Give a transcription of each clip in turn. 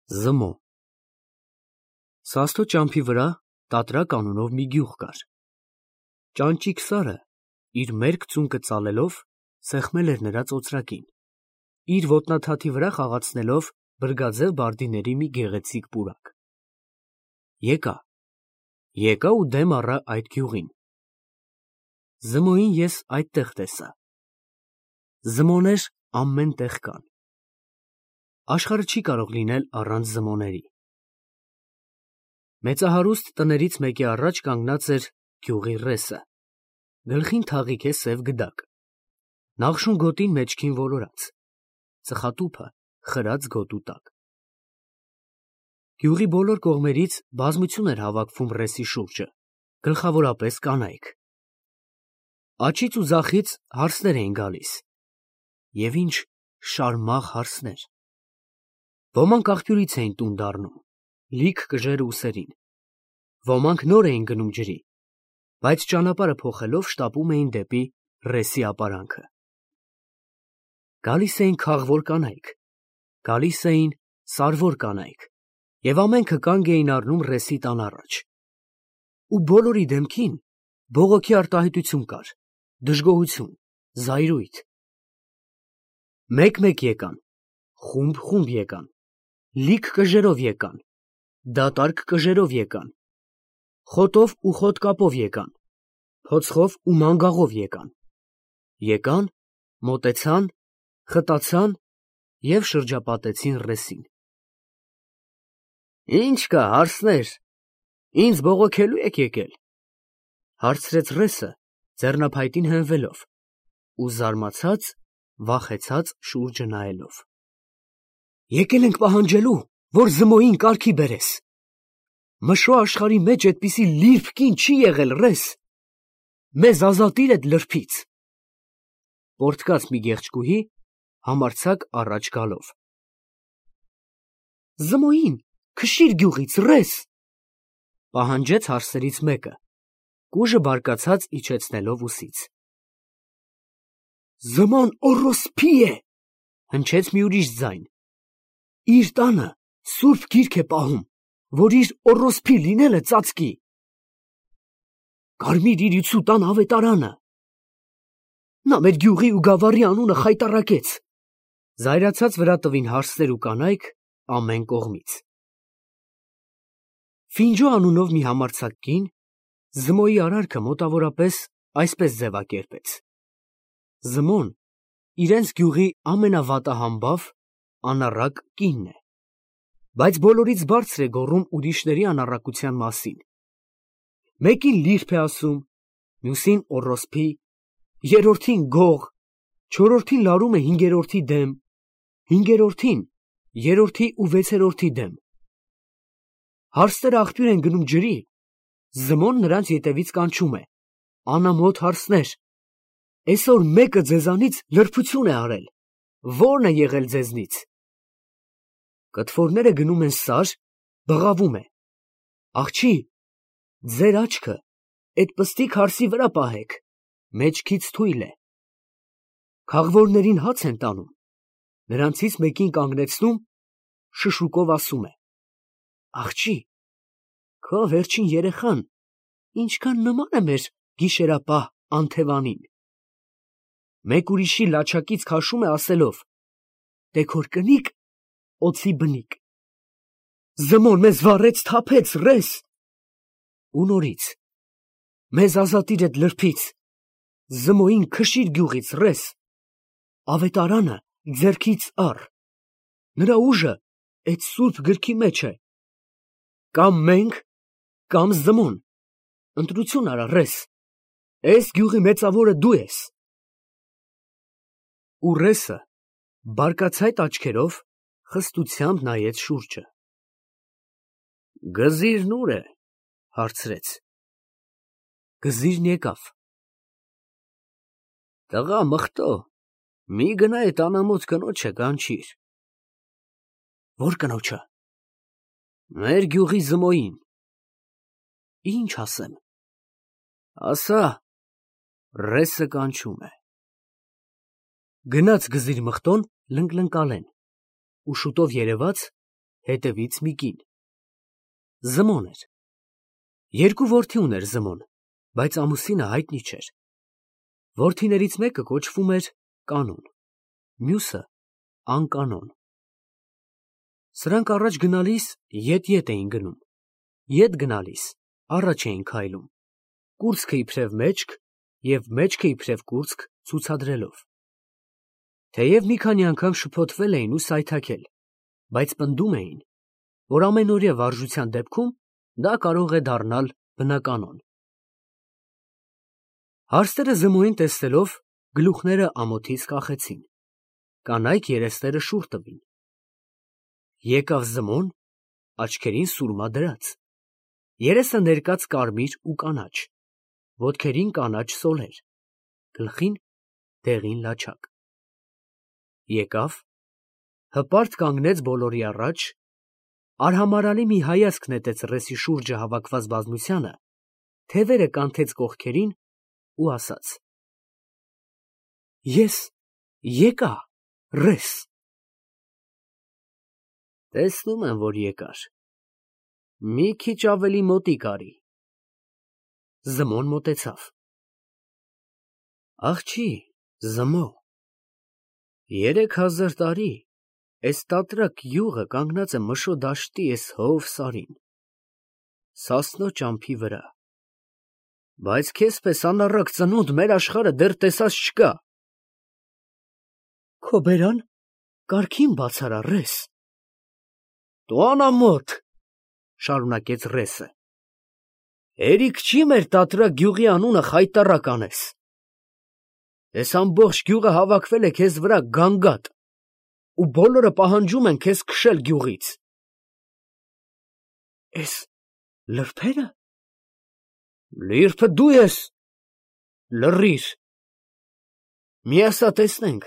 Զմո Սաստո ճամփի վրա Տատրակ անունով մի գյուղ կար։ Ճանճիկ սարը իր մերկ ծունկը ծալելով սեղմել էր նրա ծոծրակին, իր ոտնաթաթի վրա խաղացնելով բրգաձև բարդիների մի գեղեցիկ պուրակ։ Եկա ու դեմ առա այդ գյուղին։ Զմոյին ես այդտեղ տեսա։ Զմոներ ամեն տեղ կան։ Աշխարհը չի կարող լինել առանց զմոների։ Մեծահարուստ տներից մեկի առաջ կանգնած էր գյուղի ռեսը, գլխին թաղիք է սև գդակ, նախշուն գոտին մեջքին ոլորած, ծխատուփը խրած գոտու տակ։ Գյուղի բոլոր կողմերից բազմություն էր հավաքվում ռեսի շուրջը, գլխավորապես կանայք։ Աջից ու ձախից հարսներ էին գալիս, և ինչ շարմաղ հարսներ։ Ոմանք աղբյուրից էին տուն դառնում, լիք կժեր ուսերին, ոմանք նոր էին գնում ջրի, բայց ճանապարհը փոխելով շտապում էին դեպի ռեսի ապարանքը։ Գալիս էին քաղվոր կանայք, գալիս էին սարվոր կանայք, և ամենքը կանգ էին առնում ռեսի տան առաջ։ Ու բոլորի դեմքին բողոքի արտահայտություն կար, դժգոհություն, զայրույթ։ Մեկ-մեկ եկան, խումբ եկան, լիք կժերով եկան, դատարկ կժերով եկան, խոտով ու խոտկապով եկան, փոցխով ու մանգաղով եկան, մոտեցան, խտացան և շրջապատեցին ռեսին։ Ինչ կա, հարսներ, ինձ բողոքելու եք եկել, հարցրեց ռեսը, ձեռնափայտին հենվելով ու զարմացած, վախեցած շուրջը նայելով։ Եկել ենք պահանջելու, որ Զմոյին կարգի բերես։ Մշո աշխարհի մեջ այդպիսի լիրբ կին չի եղել, ռես, մեզ ազատիր այդ լրբից։ Պորտկաց մի գեղեցկուհի համարձակ առաջ գալով։ Զմոյին, քշիր գյուղից, ռես, պահանջեց հարսերից մեկը, կուժը բարկացած իջեցնելով ուսից։ Զմոն օռոսփի է, հնչեց մի ուրիշ ձայն։ Իր տանը սուրբ գիրք է պահում, որ իր օռոսփի լինելը ծածկի։ Կարմիր իրիցու տան ավետարանը։ Նա մեր գյուղի ու գավառի անունը խայտառակեց։ Զայրացած վրա տվին հարսներ ու կանայք ամեն կողմից։ Ֆինջո անունով մի համարձակ կին Զմոյի արարքը մոտավորապես այսպես ձևակերպեց. Զմոն իրենց գյուղի ամենավատահամբավ, անառակ կինն է, բայց բոլորից բարձր է գոռում ուրիշների անառակության մասին։ Մեկին լիրբ է ասում, մյուսին օռոսփի, երրորդին գող, չորրորդին լարում է հինգերորդի դեմ, հինգերորդին երրորդի ու վեցերորդի դեմ։ Հարսները աղբյուր են գնում ջրի, Զմոն նրանց ետևից կանչում է. անամոթ հարսներ, այսօր մեկը ձեզանից լրբություն է արել, ո՞րն է եղել ձեզնից։ Կտվորները գնում են սար, բղավում է. աղջի, ձեր աչքը այդ պստիկ հարսի վրա պահեք, մեջքից թույլ է։ Քաղվորներին հաց են տանում, նրանցից մեկին կանգնեցնում, շշուկով ասում է. աղջի, քո վերջին երեխան ինչքան նման է մեր գիշերապահ Անթևանին։ Մեկ ուրիշի լաչակից քաշում է ասելով. դե քոր կնիկ օձի բնիկ։ Զմոն մեզ վառեց, թափեց, ռես։ Ու նորից, մեզ ազատիր այդ լրբից, Զմոյին քշիր գյուղից, ռես, ավետարանը ձեռքից առ, նրա ուժը այդ սուրբ գրքի մեջ է, կամ մենք, կամ Զմոն, ընտրություն արա, ռես, այս գյուղի մեծավորը դու ես։ Ու ռեսը բարկացայտ աչքերով խստությամբ նայեց շուրջը։ Գզիրն ուր է, հարցրեց։ Գզիրն եկավ։ Տղա մխտո, մի գնա այդ անամոթ կնոջը կանչիր։ Ո՞ր կնոջը։ Մեր գյուղի Զմոյին։ Ինչ ասեմ։ Ասա, ռեսը կանչում է։ Գնաց գզիր մխտոն լնկլնկալեն, ու շուտով երևաց, հետևից մի կին։ Զմոն էր։ Երկու որդի ուներ Զմոն, բայց ամուսինը հայտնի չէր։ Որդիներից մեկը կոչվում էր Կանոն, մյուսը Անկանոն։ Սրանք առաջ գնալիս ետ էին գնում, ետ գնալիս առաջ էին քայլում, կուրծքը իբրև մեջք և մեջքը իբրև կուրծք ցուցադրելով։ Թեև մի քանի անգամ շփոթվել էին ու սայթաքել, բայց պնդում էին, որ ամենօրյա վարժության դեպքում դա կարող է դառնալ բնականոն։ Հարստերը Զմոյին տեսնելով գլուխները ամոթից կախեցին, կանայք երեսները շուռ տվին։ Եկավ Զմոն, աչքերին սուրմա դրած, երեսը ներկած կարմիր ու կանաչ, ոտքերին կանաչ սոլեր, գլխին դեղին լաչակ։ Եկավ, հպարտ կանգնեց բոլորի առաջ, արհամարհալի մի հայացք նետեց ռեսի շուրջը հավաքված բազմությանը, թևերը կանթեց կողքերին ու ասաց. Ես եկա, ռես։ Տեսնում եմ, որ եկար։ Մի քիչ ավելի մոտիկ արի։ Զմոն մոտեցավ։ Աղջի, Զմո, 3000 տարի էս տատրակ յուղը կանգնած է Մշո դաշտի էս հով սարին, Սասնո ճամփի վրա, բայց քեզ պես անառակ ծնունդ մեր աշխարհը դեռ տեսած չկա։ Քո բերան կարգին բացարա, ռես։ Դու անամոթ, շարունակեց ռեսը, հերիք չի մեր տատրակ գյուղի անունը խայտառակ անես։ Էս ամբողջ գյուղը հավաքվել է քեզ վրա գանգատ, ու բոլորը պահանջում են քեզ քշել գյուղից։ Էս լրբե՞րը։ Լիրբը դու ես։ Լռիր։ Մի ասա տեսնենք,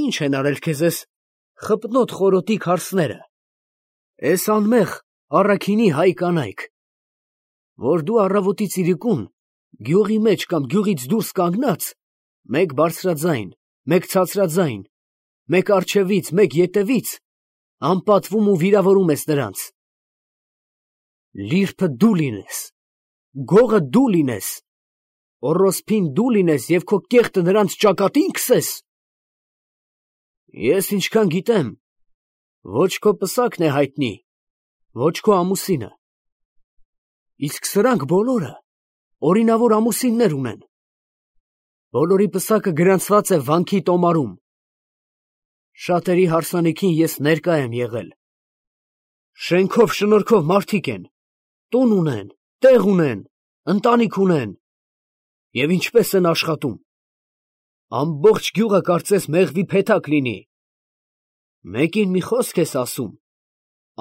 ինչ են արել քեզ էս խպնոտ խորոտիկ հարսները, էս անմեղ առաքինի հայ կանայք, որ դու առավոտից իրիկուն գյուղի մեջ կամ գյուղից դուրս կանգնած, մեկ բարձրաձայն, մեկ ցածրաձայն, մեկ առջևից, մեկ ետևից, անպատվում ու վիրավորում ես նրանց։ Լիրբը դու լինես, գողը դու լինես, օրոսփին դու լինես և քո կեղտը նրանց ճակատին քսես։ Ես ինչքան գիտեմ, ոչ քո պսակն է հայտնի, ոչ քո ամուսինը, իսկ սրանք բոլորը օրինավոր ամուսիններ ունեն, բոլորի պսակը գրանցված է վանքի տոմարում, շատերի հարսանիքին ես ներկա եմ եղել, շենքով շնորհքով մարդիկ են, տուն ունեն, տեղ ունեն, ընտանիք ունեն, և ինչպես են աշխատում, ամբողջ գյուղը կարծես մեղվի փեթակ լինի, մեկին մի խոսք ես ասում,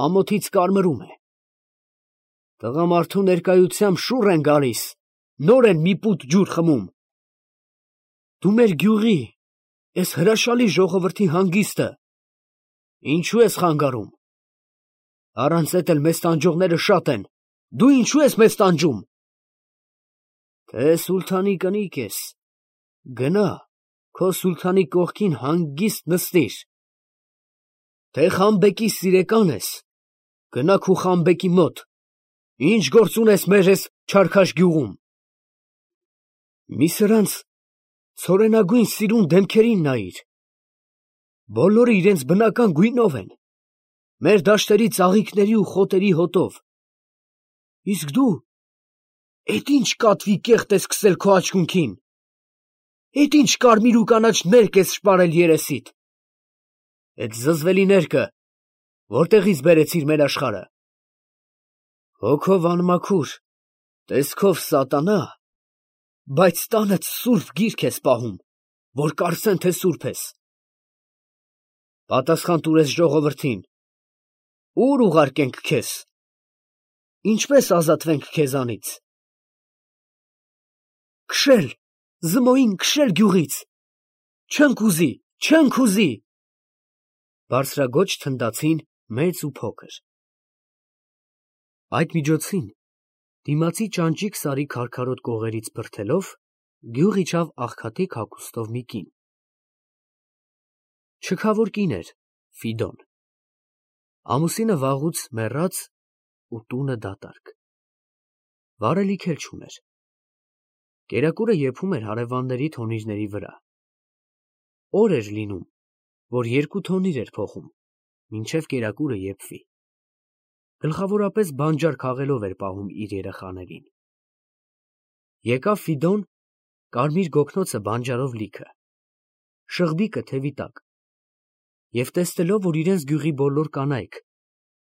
ամոթից կարմրում է, տղամարդու ներկայությամբ շուռ են գալիս, նոր են մի պուտ ջուր խմում, դու մեր գյուղի, էս հրաշալի ժողովրդի հանգիստը, ինչու ես խանգարում, առանց էդ էլ մեզ տանջողները շատ են, դու ինչու ես մեզ տանջում, թե սուլթանի կնիկ ես, գնա, քո սուլթանի կողքին հանգիստ նստիր, թե խանբեկի սիրեկան ես, գնա քու խանբեկի մոտ, ինչ գործ ունես մեր էս չարքաշ գյուղում, մի սրանց ցորենագույն սիրուն դեմքերին նայիր, բոլորը իրենց բնական գույնով են, մեր դաշտերի ծաղիկների ու խոտերի հոտով, իսկ դու, էդ ինչ կատվի կեղտ ես քսել քո աչքունքին, էդ ինչ կարմիր ու կանաչ ներկ ես շպարել երեսիդ, էդ զզվելի ներկը, որտեղից բերեցիր մեր աշխարհը, հոգով անմաքուր, տեսքով սատանա, բայց տանդ սուրբ գիրք ես պահում, որ կարծեն, թե սուրբ ես, պատասխան տուր էս ժողովրդին, ուր ուղարկենք քեզ, ինչպես ազատվենք քեզանից, քշել, Զմոյին քշել գյուղից, չենք ուզի, չենք ուզի, բարձրագոչ թնդացին մեծ ու փոքր։ Այդ միջոցին, դիմացի ճանճիկ սարի քարքարոտ կողերից բրդելով, գյուղ իջավ աղքատիկ հագուստով մի կին։ Շքավոր կին էր, Ֆիդոն։ Ամուսինը վաղուց մեռած ու տունը դատարկ։ Վարելիք էլ չուներ։ Կերակուրը եփում էր հարևանների թոնիրների վրա։ Օր էր լինում, որ 2 թոնիր էր փոխում, մինչև կերակուրը եփվի։ Գլխավորապես բանջար քաղելով էր պահում իր երեխաներին։ Եկավ Ֆիդոն, կարմիր գոգնոցը բանջարով լիքը, շղբիկը թևի տակ, և տեսնելով, որ իրենց գյուղի բոլոր կանայք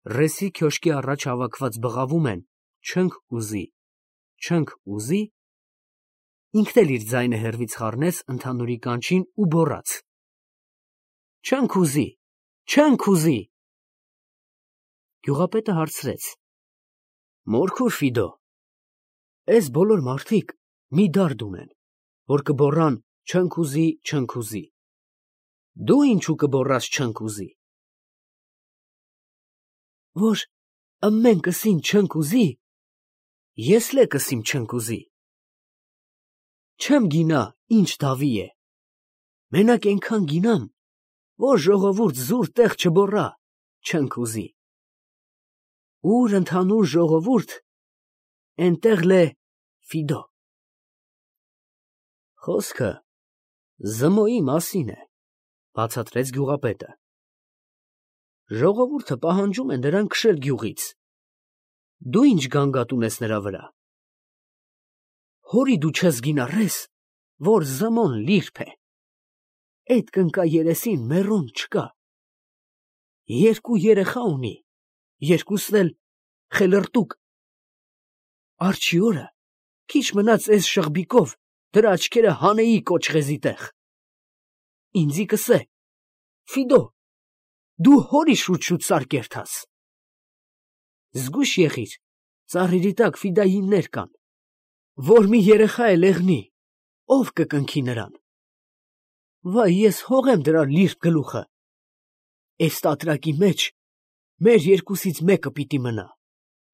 ռեսի քյոշկի առաջ հավաքված բղավում են «չընք ուզի, չընք ուզի», ինքն էլ իր ձայնը հեռվից խառնեց ընդհանուրի կանչին ու գոռաց. «Չընք ուզի, չընք ուզի»։ Գյուղապետը հարցրեց. «Մորքուր Ֆիդո, էս բոլոր մարդիկ մի դարդ ունեն, որ կբոռան չընք ուզի, չընք ուզի, դու ինչու կբոռաս չընք ուզի»։ Որ ըմմեն կսին չընք ուզի, ես լե կսիմ չընք ուզի։ Չեմ գինա ինչ դավի է, մենակ ենքան գինամ, որ ժողովուրդ զուր տեղ չբոռա չընք ուզի։ Ուր ընդհանուր ժողովուրդ, էնտեղ լե Ֆիդո։ Խոսքը Զմոյի մասին է, բացատրեց գյուղապետը։ Ժողովուրդը պահանջում է նրան քշել գյուղից։ Դու ինչ գանգատ ունես նրա վրա։ Հորի դու չես գինառես, որ Զմոն լիրբ է։ Էդ կնկա երեսին մեռոն չկա։ 2 երեխա ունի, 2-ն էլ խելրտուկ։ Արջի օրը քիչ մնաց էս շղբիկով դրա աչքերը հանեի կոճղեզի տեղ։ Ինձի կսե. Ֆիդո, դու հորի շուտ-շուտ սար կերթաս։ Զգույշ եղիր, ծառերի տակ ֆիդայիններ կան, որ մի երեխա է լեղնի, ով կկնքի նրան։ Վայ, ես հողեմ դրա լիրբ գլուխը։ Էս տատրակի մեջ մեր 2-ից մեկը պիտի մնա,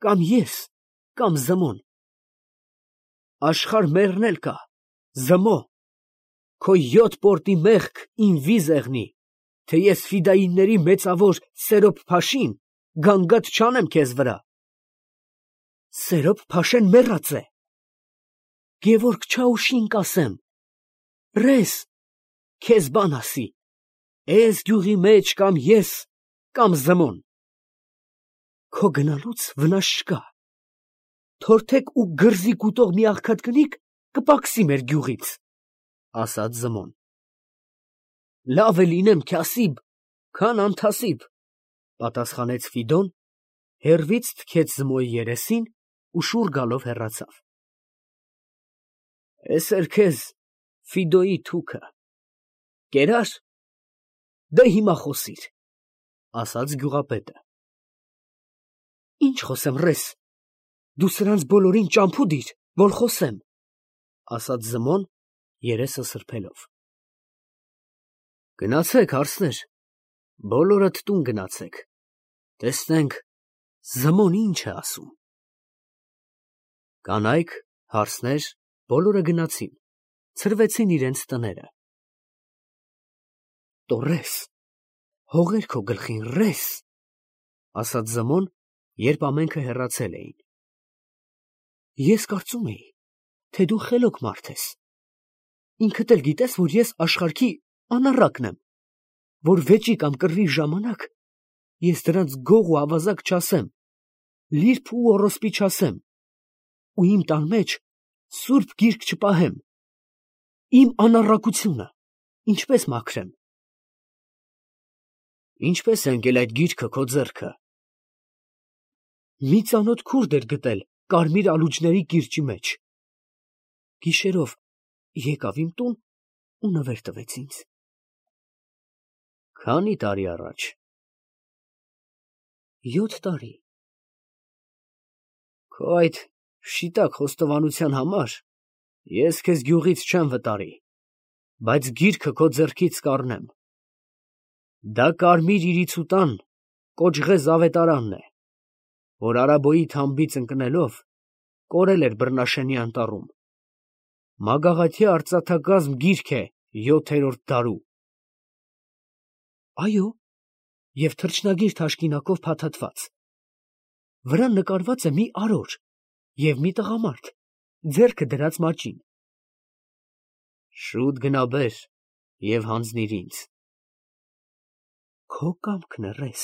կամ ես, կամ Զմոն։ Աշխարհ մեռնել կա, Զմո, քո 7 պորտի մեղք ին վիզ եղնի, թե ես ֆիդայինների մեծավոր Սերոբ փաշին գանգատ չանեմ քեզ վրա։ Սերոբ փաշեն մեռած է։ Գևորգ Չաուշին կասեմ, ռես, քեզ բան ասի, էս գյուղի մեջ կամ ես, կամ Զմոն։ Քո գնալուց վնաս չկա։ Թորթեք ու գրզի կուտող մի աղքատ կնիկ կպակսի մեր գյուղից, ասաց Զմոն։ Լավ է լինեմ քյասիբ, քան անթասիբ, պատասխանեց Ֆիդոն, հեռվից թքեց Զմոյի երեսին ու շուռ գալով հեռացավ։ Էս էր քեզ Ֆիդոյի թուքը։ Կերա՞ր։ Դե հիմա խոսիր, ասաց գյուղապետը։ Ինչ խոսեմ, ռես, դու սրանց բոլորին ճամփու դիր, որ խոսեմ, ասաց Զմոն, երեսը սրբելով։ Գնացեք, հարսներ, բոլորդ տուն գնացեք, տեսնենք Զմոն ինչ է ասում։ Կանայք, հարսներ, բոլորը գնացին, ցրվեցին իրենց տները։ Տորես, հողեր քո գլխին, ռես, ասաց Զմոն, երբ ամենքը հեռացել էին։ Ես կարծում էի, թե դու խելոք մարդ ես։ Ինքդ էլ գիտես, որ ես աշխարհքի անառակն եմ, որ վեճի կամ կռվի ժամանակ ես դրանց գող ու ավազակ չասեմ, լիրբ ու օրոսպի չասեմ, ու իմ տան մեջ սուրբ գիրք չպահեմ։ Իմ անառակությունը ինչպես մաքրեմ։ Ինչպես է ընկել այդ գիրքը քո ձեռքը։ Մի ծանոթ քուրդ էր գտել կարմիր ալուջների կիրճի մեջ։ Գիշերով եկավ իմ տուն ու նվեր տվեց ինձ։ Քանի տարի առաջ։ 7 տարի։ Քո այդ շիտակ խոստովանության համար ես քեզ գյուղից չեմ վտարի, բայց գիրքը քո ձեռքից կառնեմ։ Դա կարմիր իրիցուտան կոճղեզ ավետարանն է, որ Արաբոյի թամբից ընկնելով կորել էր Բռնաշենի անտառում։ Մագաղաթյա արծաթակազմ գիրք է 7-րդ դարու։ Այո, և թռչնագիր թաշկինակով փաթաթված։ Վրան նկարված է մի արոր և մի տղամարդ, ձեռքը դրած մաճին։ Շուտ գնա բեր և հանձնիր ինձ։ Քո կամքն է, ռես։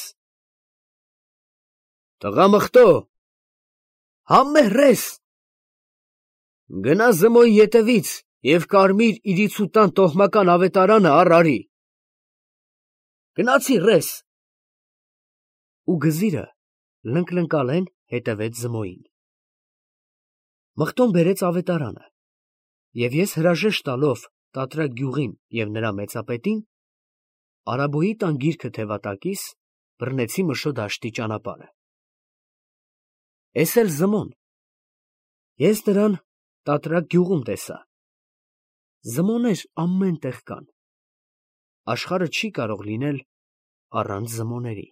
Տղամխտո, համե ռես։ Գնա Զմոյի ետևից և կարմիր իրիցուտան տոհմական ավետարանը առ արի։ Գնացի, ռես։ Ու գզիրը լնկլնկալեն հետևեց Զմոյին։ Մղտոն բերեց ավետարանը, և ես հրաժեշտ տալով Տատրակ գյուղին և նրա մեծապետին, Արաբոյի տան գիրքը թևատակիս, բռնեցի Մշո դաշտի ճանապարհը։ Էս էլ Զմոն։ Ես նրան Տատրակ գյուղում տեսա։ Զմոներ ամեն տեղ կան։ Աշխարհը չի կարող լինել առանց Զմոների։